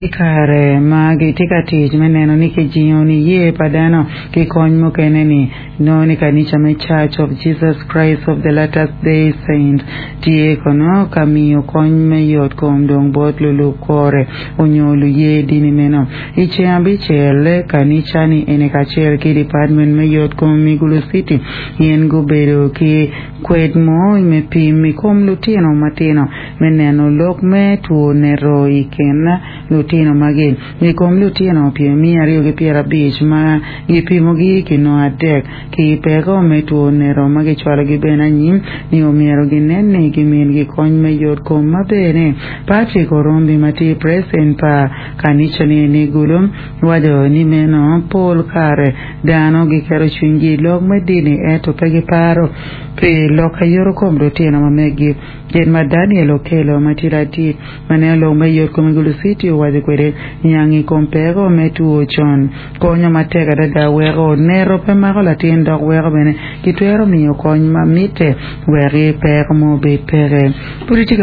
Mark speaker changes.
Speaker 1: I kare ma gitye ka tic me neno ni kijingo niye pa dano ki kony mukene-ni, nongo ni kanica me Church of Jesus Christ of the Latter Day Saints tye kono ka miyo kony me yot kom dong bot lulub kore onyo luye dini meno. I ceng abicel, kanica-ni eni kacel ki Department me Yot Kom i Gulu City gin gubedo ki kwed mo me pim i kom lutino matino me neno lok me two neto i kin lutino magi. I kom lutino miya aryo ki pyerabic ma gipimogi kinongo adek ki peko me two neto ma gicwalogi bene anyim ni omyero ginen ni gimingi kony me yot kom maber-ni. Patrick Orombi ma tye president pa kanica-ni ni Gulu waco ni meno pol kare dano giketo cwinygi i lok me dini ento pe giparo pi lok ayoto kom lutino ma meggi. Gin ma Daniel Okello ma tye ladit ma neno lok me yotkom i Gulu City owaco kwede, Niang i kom peko me two con konyo matek adada weko neto pe mako latin dok weko bene kitwero miyo kony ma mitte wek peko mo obed peke. Pud itye ka.